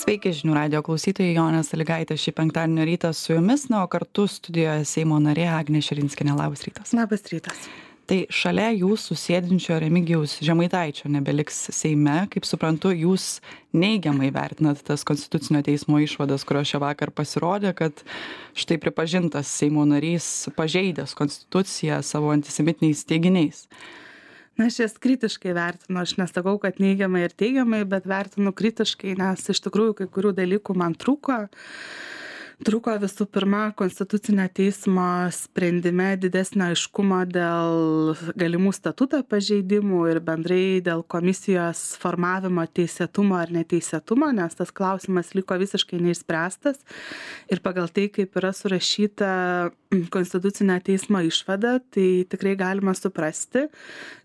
Sveiki žinių radijo klausytojai, Jonė Sąlygaitė šį penktadienio rytą su jumis, o kartu studijoje Seimo narė Agnė Širinskienė. Labas rytas. Labas rytas. Tai šalia jūsų sėdinčio Remigijaus Žemaitaičio nebeliks Seime. Kaip suprantu, jūs neigiamai vertinat tas Konstitucinio teismo išvadas, kurios šią vakar pasirodė, kad štai pripažintas Seimo narys pažeidęs Konstituciją savo antisemitiniais teiginiais. Na, aš jas kritiškai vertinu, aš nesakau, kad neigiamai ir teigiamai, bet vertinu kritiškai, nes iš tikrųjų kai kurių dalykų man trūko. Trūko visų pirma Konstitucinio teismo sprendime didesnio aiškumo dėl galimų statuto pažeidimų ir bendrai dėl komisijos formavimo teisėtumo ar neteisėtumo, nes tas klausimas liko visiškai neišspręstas. Ir pagal tai, kaip yra surašyta Konstitucinio teismo išvada, tai tikrai galima suprasti,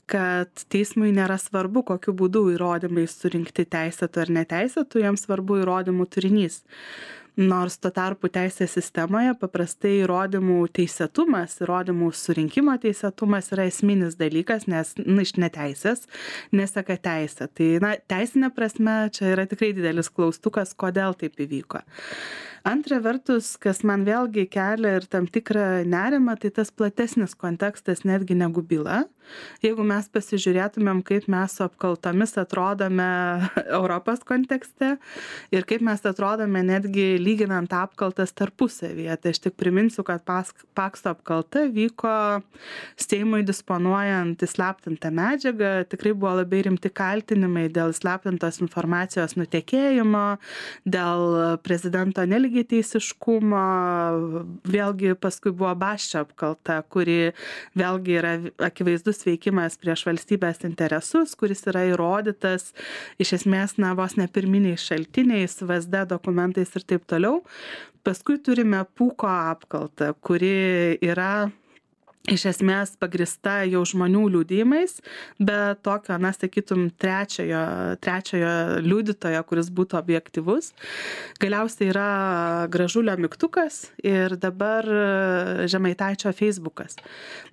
kad teismui nėra svarbu, kokiu būdu įrodymai surinkti teisėtų ar neteisėtų, jiems svarbu įrodymų turinys. Nors tuo tarpu teisės sistemoje paprastai įrodymų teisėtumas, įrodymų surinkimo teisėtumas yra esminis dalykas, nes iš neteisės neseka teisė. Tai teisinė prasme čia yra tikrai didelis klaustukas, kodėl taip įvyko. Antra vertus, kas man vėlgi kelia ir tam tikrą nerimą, tai tas platesnis kontekstas netgi negu byla. Jeigu mes pasižiūrėtumėm, kaip mes su apkaltomis atrodome Europos kontekste ir kaip mes atrodome netgi lyginant apkaltas tarpusavyje. Tai aš tik priminsiu, kad Pakso apkalta vyko Seimui disponuojant įslaptintą medžiagą. Tikrai buvo labai rimti kaltinimai dėl įslaptintos informacijos nutekėjimo, dėl prezidento nelygiateisiškumo. Vėlgi paskui buvo Basčio apkalta, kuri vėlgi yra akivaizdus veikimas prieš valstybės interesus, kuris yra įrodytas iš esmės vos ne pirminiais šaltiniais, VSD dokumentais ir taip toliau. Paskui turime Pūko apkaltą, kuri yra iš esmės pagrįsta jau žmonių liudijimais, bet tokio, sakytum, trečiojo liudytojo, kuris būtų objektyvus. Galiausiai yra Gražulio mygtukas ir dabar Žemaitaičio Facebookas.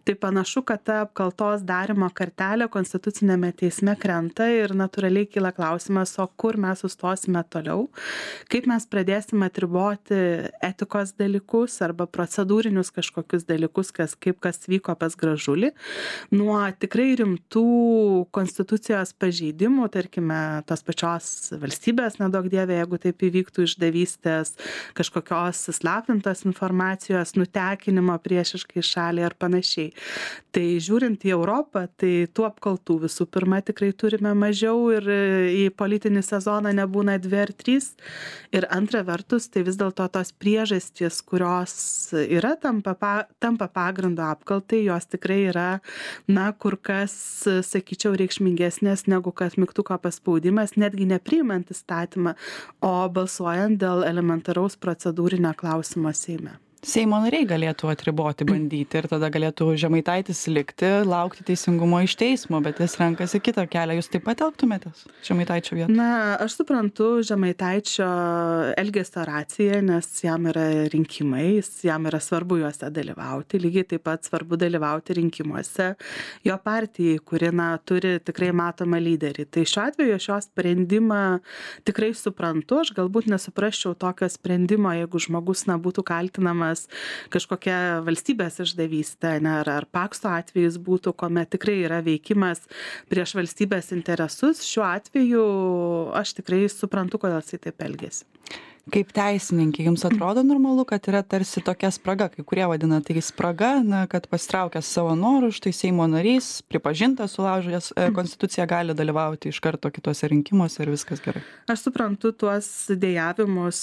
Tai panašu, kad ta apkaltos darymo kartelė Konstitucinėme teisme krenta ir natūraliai kyla klausimas, o kur mes sustosime toliau, kaip mes pradėsime atriboti etikos dalykus arba procedūrinius kažkokius dalykus, kas vyko pas Gražulį, nuo tikrai rimtų konstitucijos pažeidimų, tarkime, tos pačios valstybės, nedaug dievė, jeigu taip įvyktų išdavystės, kažkokios įslaptintos informacijos, nutekinimo priešiškai šaliai ar panašiai. Tai žiūrint į Europą, tai tų apkaltų visų pirma tikrai turime mažiau ir į politinį sezoną nebūna 2 ar 3. Ir antra vertus, tai vis dėlto tos priežastys, kurios yra tampa pagrindo apkaltai, jos tikrai yra, kur kas, sakyčiau, reikšmingesnės negu kad mygtuko paspaudimas, netgi nepriimant įstatymą, o balsuojant dėl elementaraus procedūrinio klausimo Seime. Seimo nariai galėtų atriboti, bandyti ir tada galėtų Žemaitaitis likti, laukti teisingumo iš teismo, bet jis renkasi kitą kelią. Jūs taip pat elgtumėtės Žemaitaičio vietą? Aš suprantu Žemaitaičio elgesio raciją, nes jam yra rinkimai, jam yra svarbu juose dalyvauti, lygiai taip pat svarbu dalyvauti rinkimuose jo partijai, kuri turi tikrai matomą lyderį. Tai šiuo atveju aš jo sprendimą tikrai suprantu, aš galbūt nesuprasčiau tokio sprendimo, jeigu žmogus būtų kaltinamas kažkokia valstybės išdavystė, ar Pakso atvejis būtų, kuomet tikrai yra veikimas prieš valstybės interesus. Šiuo atveju aš tikrai suprantu, kodėl jisai taip elgiasi. Kaip teisininkė, jums atrodo normalu, kad yra tarsi tokia spraga, kai kurie vadina tai spraga, kad pasitraukęs savo norų, štai Seimo narys, pripažintas sulaužęs Konstituciją, gali dalyvauti iš karto kitose rinkimuose ir viskas gerai? Aš suprantu tuos dėjavimus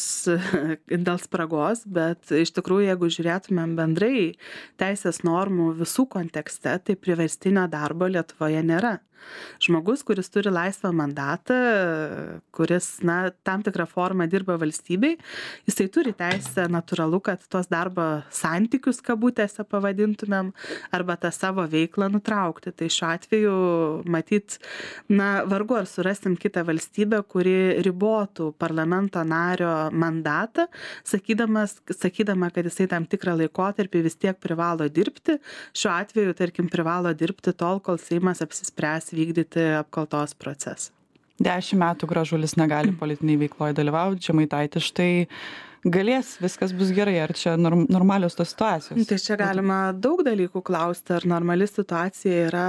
dėl spragos, bet iš tikrųjų, jeigu žiūrėtumėm bendrai teisės normų visų kontekste, tai priverstinio darbo Lietuvoje nėra. Žmogus, kuris turi laisvą mandatą, kuris, tam tikrą formą dirba valstybei, jisai turi teisę, natūralu, kad tuos darbo santykius, kabutėse pavadintumėm, arba tą savo veiklą nutraukti. Tai šiuo atveju, matyt, vargu ar surasim kitą valstybę, kuri ribotų parlamento nario mandatą, sakydama, kad jisai tam tikrą laikotarpį vis tiek privalo dirbti. Šiuo atveju, tarkim, privalo dirbti tol, kol Seimas apsispręs vykdyti apkaltos procesą. 10 metų Gražulis negali politiniai veikloje dalyvauti, Žemaitaitis štai galės, viskas bus gerai, ar čia normalios tos situacijos? Tai čia galima daug dalykų klausti, ar normali situacija yra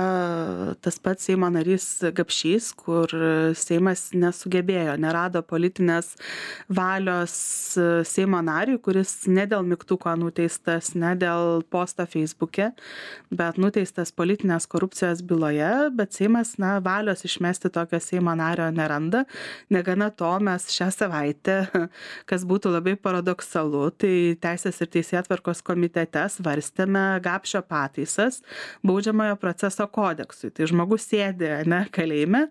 tas pats Seimo narys Gapšys, kur Seimas nesugebėjo, nerado politinės valios Seimo nariui, kuris ne dėl mygtuko nuteistas, ne dėl posto Facebook'e, bet nuteistas politinės korupcijos byloje, bet Seimas, valios išmesti tokio Seimo nario neranda. Negana to, mes šią savaitę, kas būtų labai paradoksalu, tai Teisės ir teisėtvarkos komitete svarstėme Gapšio pataisas baudžiamojo proceso kodeksui. Tai žmogus sėdi kalėjime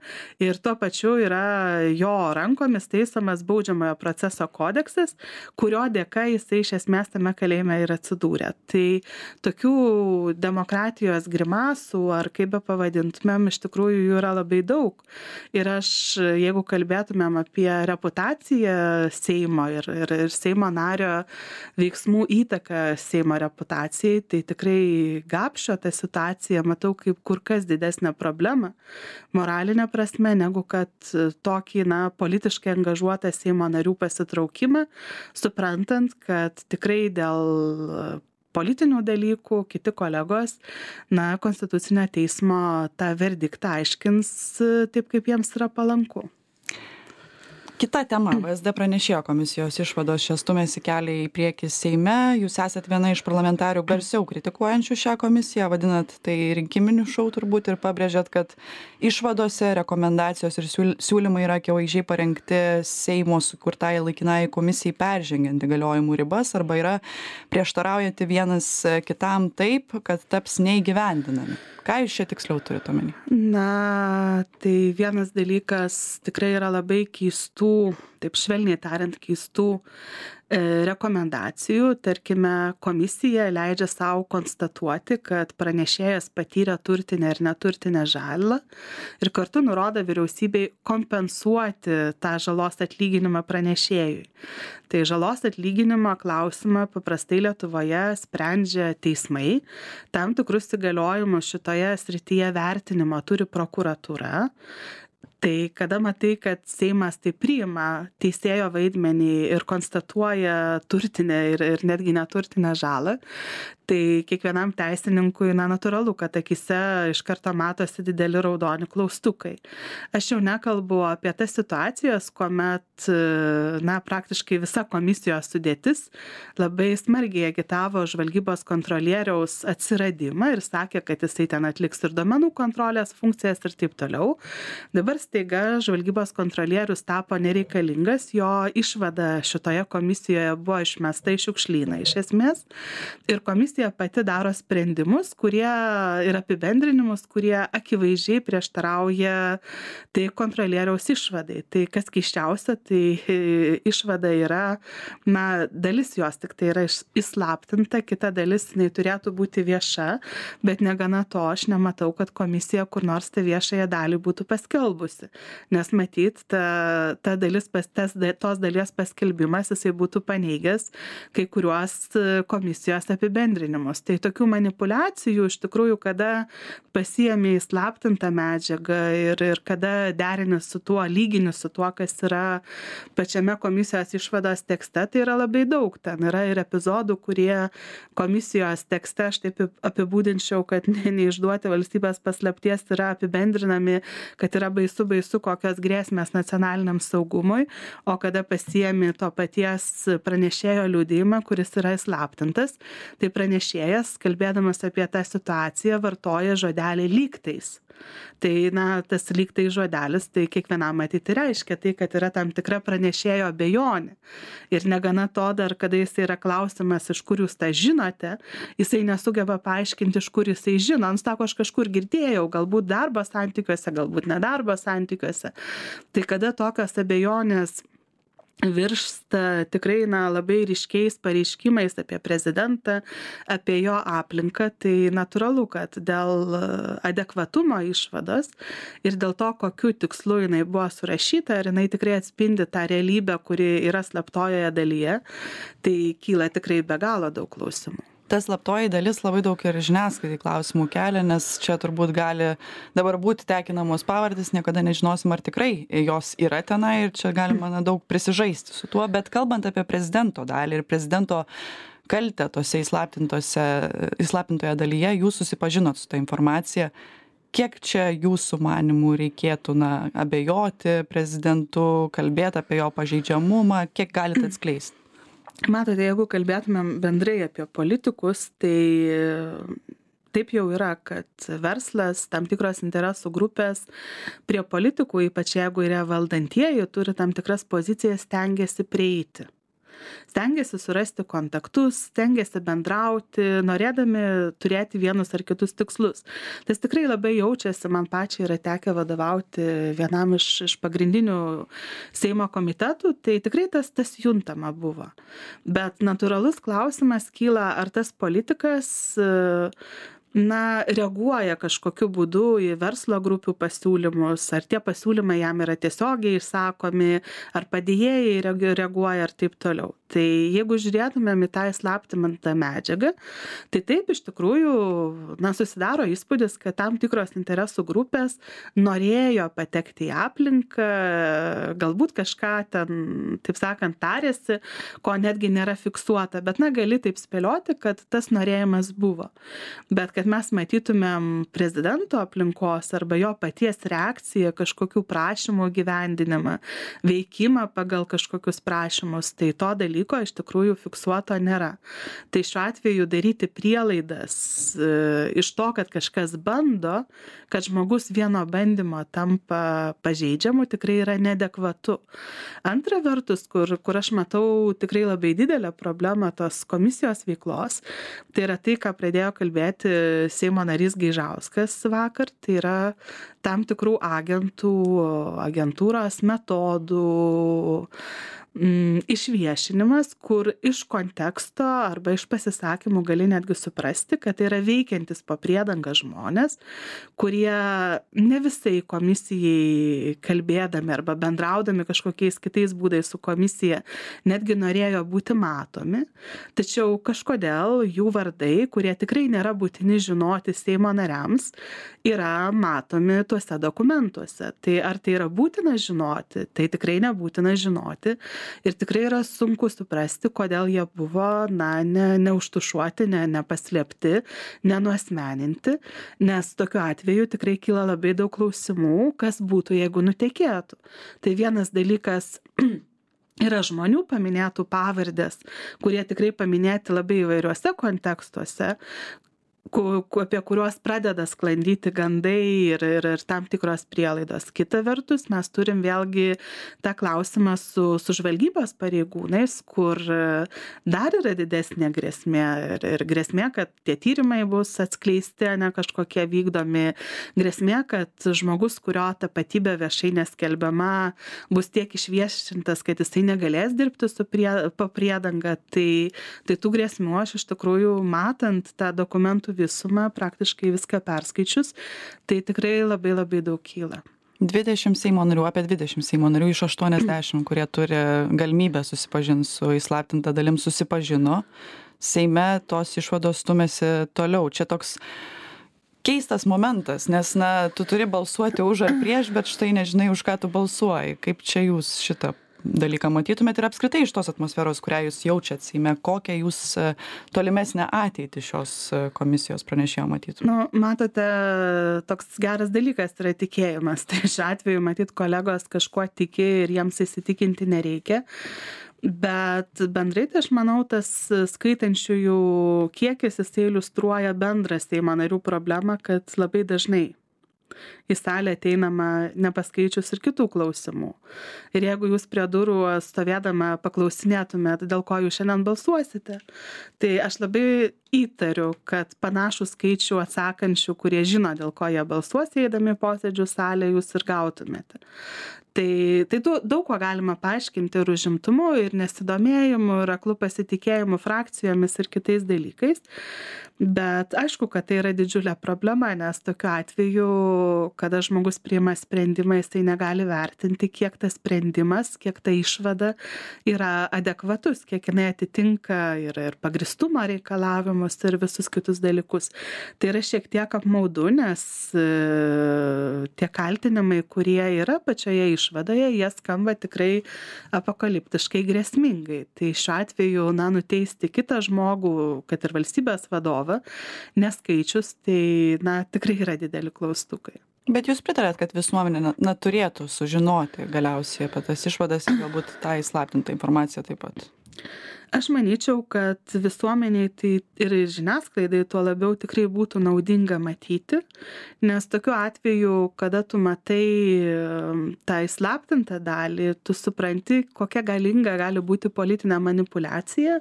ir tuo pačiu yra jo rankomis taisomas baudžiamojo proceso kodeksas, kurio dėka jisai iš esmės tame kalėjime ir atsidūrė. Tai tokių demokratijos grimasų, ar kaip be pavadintumėm, iš tikrųjų jų yra labai daug. Ir jeigu kalbėtumėm apie reputaciją Seimo ir Seimo nario veiksmų įtaką Seimo reputacijai, tai tikrai Gapšio tą situaciją matau kaip kur kas didesnę problemą moralinę prasme, negu kad tokį politiškai angažuotą Seimo narių pasitraukimą, suprantant, kad tikrai dėl politinių dalykų kiti kolegos, Konstitucinio teismo tą verdiktą aiškins taip, kaip jiems yra palanku. Kita tema, VSD pranešėjo komisijos išvados čia stumėsi kelią į priekį Seime. Jūs esat viena iš parlamentarių garsiau kritikuojančių šią komisiją, vadinat tai rinkiminiu šou turbūt ir pabrėžėt, kad išvadose rekomendacijos ir siūlymai yra akivaizdžiai parengti Seimo sukurtai laikinai komisijai peržengiant įgaliojimų ribas arba yra prieštaraujantys vienas kitam taip, kad taps neįgyvendinami. Ką jūs čia tiksliau turite omeny? Tai vienas dalykas tikrai yra labai keistų, taip švelniai tariant, keistų rekomendacijų. Tarkime, komisija leidžia savo konstatuoti, kad pranešėjas patyrė turtinę ir neturtinę žalą ir kartu nurodo vyriausybei kompensuoti tą žalos atlyginimą pranešėjui. Tai žalos atlyginimo klausimą paprastai Lietuvoje sprendžia teismai. Tam tikrus įgaliojimus šitoje srityje vertinimo turi prokuratūra. Tai kada matai, kad Seimas tai priima teisėjo vaidmenį ir konstatuoja turtinę ir netgi neturtinę žalą, tai kiekvienam teisininkui natūralu, kad akise iš karto matosi dideli raudoni klaustukai. Aš jau nekalbu apie tas situacijas, kuomet praktiškai visa komisijos sudėtis labai smarkiai agitavo žvalgybos kontrolieriaus atsiradimą ir sakė, kad jisai ten atliks ir duomenų kontrolės funkcijas ir taip toliau. Dabar staiga žvalgybos kontrolierius tapo nereikalingas, jo išvada šitoje komisijoje buvo išmesta į šiukšlyną iš esmės ir komisija pati daro sprendimus, kurie ir apibendrinimus, kurie akivaizdžiai prieštarauja tai kontrolieriaus išvadai. Tai kas keisčiausia, tai išvada yra, dalis jos tik tai yra įslaptinta, kita dalis jinai turėtų būti vieša, bet negana to aš nematau, kad komisija kur nors tą viešąją dalį būtų paskelbusi. Nes matyt, tos dalies paskelbimas jisai būtų paneigęs kai kuriuos komisijos apibendrinimus. Tai tokių manipulacijų iš tikrųjų, kada pasiėmė įslaptintą medžiagą ir kada derini su tuo, lygini su tuo, kas yra pačiame komisijos išvados tekste, tai yra labai daug. Ten yra ir epizodų, kurie komisijos tekste, aš taip apibūdinčiau, kad neišduoti valstybės paslapties yra apibendrinami, kad yra baisu, kokios grėsmės nacionaliniam saugumui, o kada pasiėmė to paties pranešėjo liudijimą, kuris yra įslaptintas, tai pranešėjas, kalbėdamas apie tą situaciją, vartoja žodelį lygtais. Tai, tas lygtai žodelis, tai kiekvienam matyti reiškia tai, kad yra tam tikra pranešėjo abejonė. Ir negana to dar, kada jisai yra klausimas, iš kur jūs tą žinote, jisai nesugeba paaiškinti, iš kur jisai žino. Jis sako, aš kažkur girdėjau, galbūt darbo santykiuose, galbūt nedarbo santykiuose. Tai kada tokios abejonės virsta tikrai labai ryškiais pareiškimais apie prezidentą, apie jo aplinką, tai natūralu, kad dėl adekvatumo išvados ir dėl to, kokiu tikslu jinai buvo surašyta, ar jinai tikrai atspindi tą realybę, kuri yra slaptojoje dalyje, tai kyla tikrai be galo daug klausimų. Ta slaptoji dalis labai daug ir žiniasklaidai klausimų kelia, nes čia turbūt gali dabar būti tekinamos pavardės, niekada nežinosim, ar tikrai jos yra tenai ir čia galima daug prisižaisti su tuo, bet kalbant apie prezidento dalį ir prezidento kaltę tose įslaptintoje dalyje, jūs susipažinot su ta informacija. Kiek čia jūsų manimų reikėtų abejoti prezidentu, kalbėti apie jo pažeidžiamumą, kiek galite atskleisti? Matote, jeigu kalbėtumėm bendrai apie politikus, tai taip jau yra, kad verslas, tam tikros interesų grupės prie politikų, ypač jeigu yra valdantieji, turi tam tikras pozicijas, stengiasi prieiti. Stengiasi surasti kontaktus, stengiasi bendrauti, norėdami turėti vienus ar kitus tikslus. Tas tikrai labai jaučiasi, man pačiai yra tekę vadovauti vienam iš pagrindinių Seimo komitetų, tai tikrai tas juntama buvo. Bet natūralus klausimas kyla, ar tas politikas reaguoja kažkokiu būdu į verslo grupių pasiūlymus, ar tie pasiūlymai jam yra tiesiogiai išsakomi, ar padėjėjai reaguoja ir taip toliau. Tai jeigu žiūrėtumėm į tą įslaptintą medžiagą, tai taip iš tikrųjų susidaro įspūdis, kad tam tikros interesų grupės norėjo patekti į aplinką, galbūt kažką ten, taip sakant, tarėsi, ko netgi nėra fiksuota, bet gali taip spėlioti, kad tas norėjimas buvo. Bet kad mes matytumėm prezidento aplinkos arba jo paties reakciją, kažkokių prašymų gyvendinimą, veikimą pagal kažkokius prašymus, tai to dalyko iš tikrųjų fiksuoto nėra. Tai šiuo atveju daryti prielaidas iš to, kad kažkas bando, kad žmogus vieno bandymo tampa pažeidžiamu, tikrai yra neadekvatu. Antra vertus, kur aš matau tikrai labai didelę problemą tos komisijos veiklos, tai yra tai, ką pradėjo kalbėti Seimo narys Gaižauskas vakar, tai yra tam tikrų agentūros metodų išviešinimas, kur iš konteksto arba iš pasisakymų gali netgi suprasti, kad tai yra veikiantis po priedangą žmonės, kurie ne visai komisijai kalbėdami arba bendraudami kažkokiais kitais būdais su komisija netgi norėjo būti matomi, tačiau kažkodėl jų vardai, kurie tikrai nėra būtini žinoti Seimo nariams, yra matomi tuose dokumentuose. Tai ar tai yra būtina žinoti? Tai tikrai nebūtina žinoti. Ir tikrai yra sunku suprasti, kodėl jie buvo neužtušuoti, nepaslėpti, nenuasmeninti, nes tokiu atveju tikrai kyla labai daug klausimų, kas būtų, jeigu nutekėtų. Tai vienas dalykas yra žmonių paminėtų pavardės, kurie tikrai paminėti labai įvairiuose kontekstuose, apie kuriuos pradeda sklandyti gandai ir tam tikros prielaidos. Kita vertus, mes turim vėlgi tą klausimą su žvalgybos pareigūnais, kur dar yra didesnė grėsmė ir grėsmė, kad tie tyrimai bus atskleisti, ne kažkokie vykdomi, grėsmė, kad žmogus, kurio tapatybė viešai neskelbiama, bus tiek išviešintas, kad jisai negalės dirbti po priedanga. Tai tų grėsmių aš iš tikrųjų, matant tą dokumentų visumą, praktiškai viską perskaičius, tai tikrai labai labai daug kyla. 20 Seimo narių, apie 20 Seimo narių iš 80, kurie turi galimybę susipažinti su įslaptinta dalim, susipažino. Seime tos išvados stumėsi toliau. Čia toks keistas momentas, nes tu turi balsuoti už ar prieš, bet štai nežinai, už ką tu balsuoji. Kaip čia jūs šitą dalyką matytumėt ir apskritai iš tos atmosferos, kurią jūs jaučiat Seime, kokią jūs tolimesnę ateitį šios komisijos pranešėjo matytumėt? Matote, toks geras dalykas yra tikėjimas. Tai šiuo atveju matyt kolegos kažkuo tiki ir jiems įsitikinti nereikia. Bet bendrai tai aš manau, tas skaitančiųjų kiekis jisai iliustruoja bendrą Seimo narių problemą, kad labai dažnai į salę ateinama nepaskaičius ir kitų klausimų. Ir jeigu jūs prie durų stovėdama paklausinėtumėt, dėl ko jūs šiandien balsuosite, tai aš labai įtariu, kad panašų skaičių atsakančių, kurie žino, dėl ko jie balsuos, eidami posėdžių salę, jūs ir gautumėte. Tai daug ko galima paaiškinti ir užimtumu, ir nesidomėjimu, ir aklų pasitikėjimu frakcijomis ir kitais dalykais. Bet aišku, kad tai yra didžiulė problema, nes tokiu atveju kada žmogus priima sprendimą, jisai negali vertinti, kiek tas sprendimas, kiek ta išvada yra adekvatus, kiek jinai atitinka ir pagristumo reikalavimus ir visus kitus dalykus. Tai yra šiek tiek apmaudu, nes tie kaltinimai, kurie yra pačioje išvadoje, jie skamba tikrai apokaliptiškai grėsmingai. Tai šiuo atveju, nuteisti kitą žmogų, kad ir valstybės vadovą, neskaičius, tai, tikrai yra dideli klaustukai. Bet jūs pritarėt, kad visuomenė turėtų sužinoti galiausiai apie tas išvadas ir galbūt tą įslaptintą informaciją taip pat? Aš manyčiau, kad visuomeniai tai ir žiniasklaidai tuo labiau tikrai būtų naudinga matyti, nes tokiu atveju, kada tu matai tą įslaptintą dalį, tu supranti, kokia galinga gali būti politinė manipulacija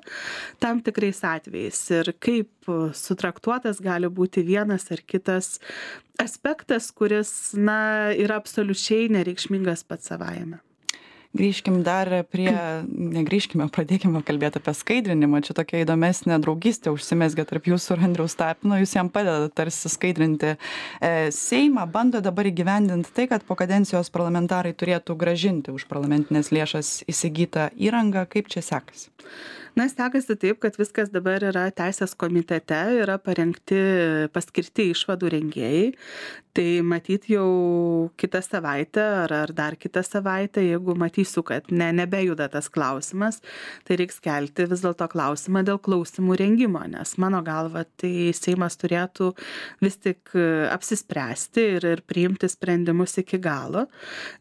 tam tikrais atvejais ir kaip sutraktuotas gali būti vienas ar kitas aspektas, kuris, yra absoliučiai nereikšmingas pats savaime. Grįžkim dar pradėkime kalbėti apie skaidrinimą. Čia tokia įdomesnė draugystė užsimezgė tarp jūsų ir Andriaus Tapino. Jūs jam padedat tarsi skaidrinti Seimą, bando dabar įgyvendinti tai, kad po kadencijos parlamentarai turėtų grąžinti už parlamentinės lėšas įsigytą įrangą. Kaip čia sekasi? Sekasi taip, kad viskas dabar yra teisės komitete, yra paskirti išvadų rengėjai. Tai matyt jau kitą savaitę ar dar kitą savaitę, jeigu matysiu, kad nebejuda tas klausimas, tai reiks kelti vis dėlto klausimą dėl klausimų rengimo, nes mano galva tai Seimas turėtų vis tik apsispręsti ir priimti sprendimus iki galo.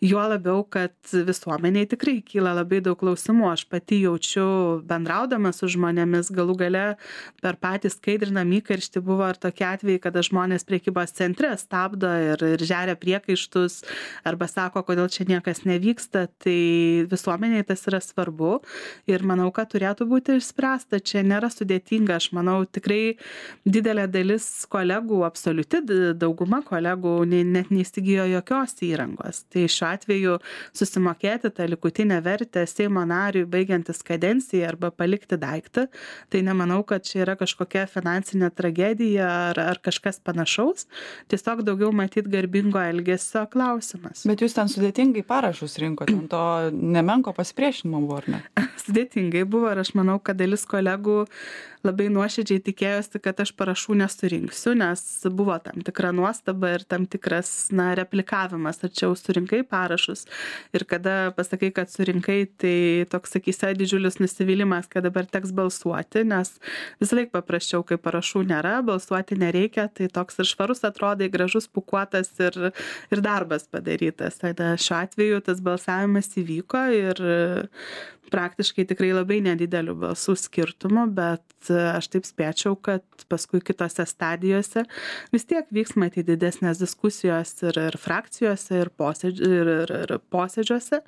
Juo labiau, kad visuomeniai tikrai kyla labai daug klausimų. Aš pati jaučiu bendraudama su žmonėmis, galų gale per patį skaidrinamą įkarštį buvo ir tokie atvejai, kada žmonės prekybos centre stabdo ir žeria priekaištus arba sako, kodėl čia niekas nevyksta, tai visuomeniai tas yra svarbu ir manau, kad turėtų būti išspręsta. Čia nėra sudėtinga, aš manau, tikrai didelė dalis kolegų, absoliuti dauguma kolegų net neįsigijo jokios įrangos. Tai šiuo atveju susimokėti tą likutinę vertę Seimo nariui baigiantis kadenciją arba palikti daiktą, tai nemanau, kad čia yra kažkokia finansinė tragedija ar kažkas panašaus. Tiesiog daugiau matyt garbingo elgesio klausimas. Bet jūs ten sudėtingai parašus rinkote, to nemenko pasipriešinimo buvo, ar ne? Sudėtingai buvo ir aš manau, kad dalis kolegų labai nuoširdžiai tikėjosi, kad aš parašų nesurinksiu, nes buvo tam tikra nuostaba ir tam tikras replikavimas, ar čia jau surinkai parašus. Ir kada pasakai, kad surinkai, tai toks, sakysi, didžiulis nusivylimas, kad dabar teks balsuoti, nes visą laiką paprasčiau, kai parašų nėra, balsuoti nereikia, tai toks ir švarus atrodai, gražus, pukuotas ir darbas padarytas. Tai šiuo atveju tas balsavimas įvyko ir praktiškai tikrai labai nedidelių balsų skirtumų, bet aš taip spėčiau, kad paskui kitose stadijose vis tiek vyks matyti didesnės diskusijos ir frakcijose, ir posėdžiuose.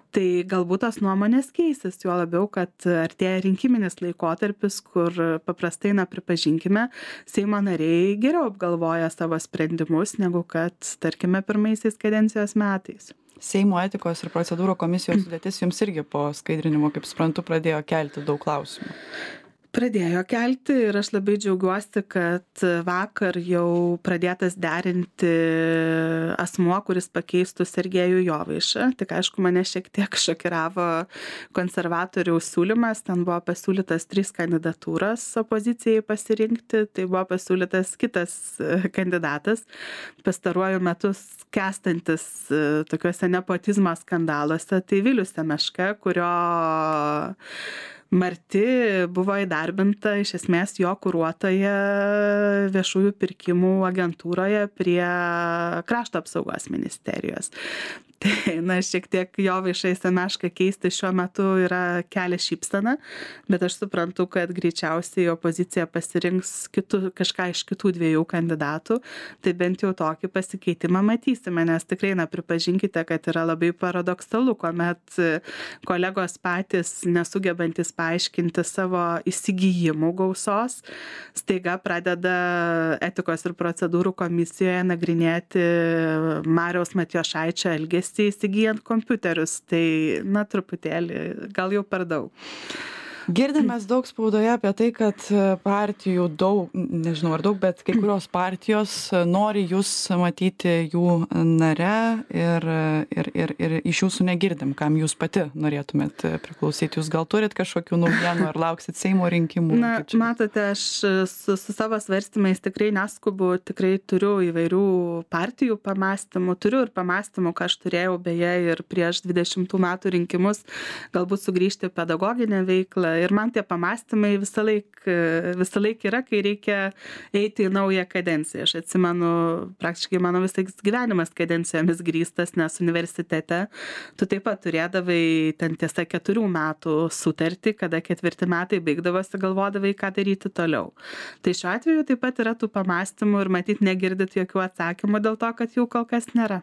Tai galbūt tos nuomonės keisis, juo labiau, kad artėja rinkiminis laikotarpis, kur paprastai, pripažinkime, Seimo nariai geriau apgalvoja savo sprendimus, negu kad, tarkime, pirmaisiais kadencijos metais. Seimo etikos ir procedūrų komisijos sudėtis jums irgi po skaidrinimo, kaip suprantu, pradėjo kelti daug klausimų. Pradėjo kelti ir aš labai džiaugiuosi, kad vakar jau pradėtas derinti asmuo, kuris pakeistų Sergejų Jovaišą. Tik aišku, mane šiek tiek šokiravo konservatorių siūlymas. Ten buvo pasiūlytas 3 kandidatūras opozicijai pasirinkti. Tai buvo pasiūlytas kitas kandidatas, pastaruoju metu skęstantis tokiuose nepotizmo skandaluose. Tai Vilius Semeška, kurio Marti buvo įdarbinta iš esmės jo kuruotoje viešųjų pirkimų agentūroje prie Krašto apsaugos ministerijos. Tai, šiek tiek Jovaišą į Semešką keisti šiuo metu yra kelia šypsena, bet aš suprantu, kad greičiausiai opozicija pasirinks kažką iš kitų 2 kandidatų, tai bent jau tokį pasikeitimą matysime, nes tikrai, pripažinkite, kad yra labai paradoksalu, kuomet kolegos patys nesugebantis paaiškinti savo įsigijimų gausos, staiga pradeda etikos ir procedūrų komisijoje nagrinėti Mariaus Matijošaičio elgesį įsigijant kompiuterius, tai truputėlį, gal jau per daug. Girdim mes daug spaudoje apie tai, kad partijų daug, nežinau ar daug, bet kai kurios partijos nori jūs matyti jų nare ir iš jūsų negirdim, kam jūs pati norėtumėt priklausyti. Jūs gal turit kažkokių naujienų ar lauksit Seimo rinkimų? Na, matote, aš su savo svarstymais tikrai neskubu, tikrai turiu įvairių partijų pamastymų, turiu ir pamastymų, ką aš turėjau beje ir prieš 20 metų rinkimus, galbūt sugrįžti pedagoginę veiklą. Ir man tie pamastymai visą laik yra, kai reikia eiti į naują kadenciją. Aš atsimenu, praktiškai mano visais gyvenimas kadencijomis grįstas, nes universitete tu taip pat turėdavai ten tiesa 4 metų sutartį, kada 4 metai baigdavosi, galvodavai, ką daryti toliau. Tai šiuo atveju taip pat yra tų pamastymų ir matyt negirdit jokių atsakymų dėl to, kad jų kol kas nėra.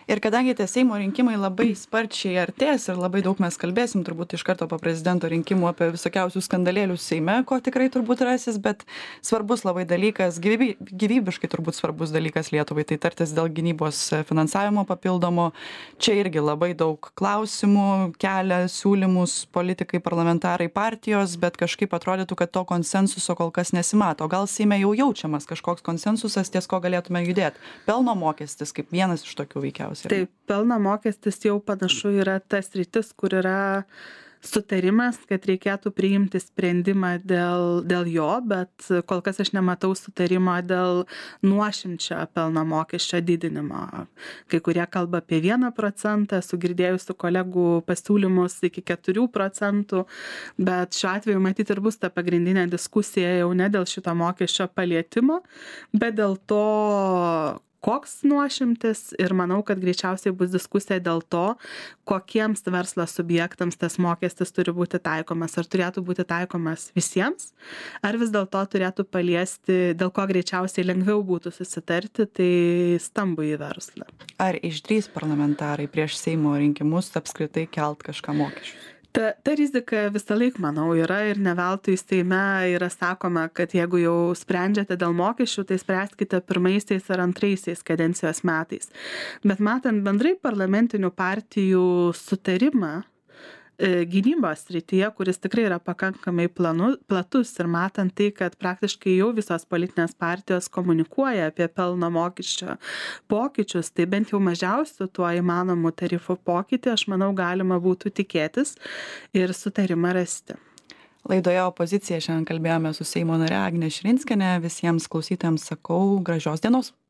Ir kadangi tie Seimo rinkimai labai sparčiai artės ir labai daug mes kalbėsim turbūt iš karto po prezidento rinkimų apie visokiausius skandalėlius Seime, ko tikrai turbūt rasis, bet svarbus labai dalykas, gyvybiškai turbūt svarbus dalykas Lietuvai, tai tartis dėl gynybos finansavimo papildomo. Čia irgi labai daug klausimų kelia siūlymus politikai, parlamentarai, partijos, bet kažkaip atrodytų, kad to konsensuso kol kas nesimato. Gal Seime jau jaučiamas kažkoks konsensusas, ties ko galėtume judėti? Pelno mokestis kaip vienas iš tokių veikiausiai. Taip, pelno mokestis jau panašu yra tas sritis, kur yra sutarimas, kad reikėtų priimti sprendimą dėl jo, bet kol kas aš nematau sutarimo dėl nuošimčio pelno mokesčio didinimo. Kai kurie kalba apie 1%, sugirdėjusių kolegų pasiūlymus iki 4%, bet šiuo atveju matyti ir bus ta pagrindinė diskusija jau ne dėl šito mokesčio palietimo, bet dėl to, koks nuošimtis ir manau, kad greičiausiai bus diskusija dėl to, kokiems verslo subjektams tas mokestis turi būti taikomas. Ar turėtų būti taikomas visiems, ar vis dėlto turėtų paliesti, dėl ko greičiausiai lengviau būtų susitarti, tai stambųjį verslą. Ar išdrįs parlamentarai prieš Seimo rinkimus apskritai kelt kažką mokesčius? Ta rizika visą laik, manau, yra ir ne veltui Seime yra sakoma, kad jeigu jau sprendžiate dėl mokesčių, tai spręskite pirmaisiais ar antraisiais kadencijos metais. Bet matant bendrai parlamentinių partijų sutarimą gynybos srityje, kuris tikrai yra pakankamai platus ir matant tai, kad praktiškai jau visos politinės partijos komunikuoja apie pelno mokesčio pokyčius, tai bent jau mažiausiu tuo įmanomu tarifų pokytį, aš manau, galima būtų tikėtis ir sutarimą rasti. Laidoje Opozicija šiandien kalbėjome su Seimo nare Agne Širinskiene. Visiems klausytojams sakau gražios dienos.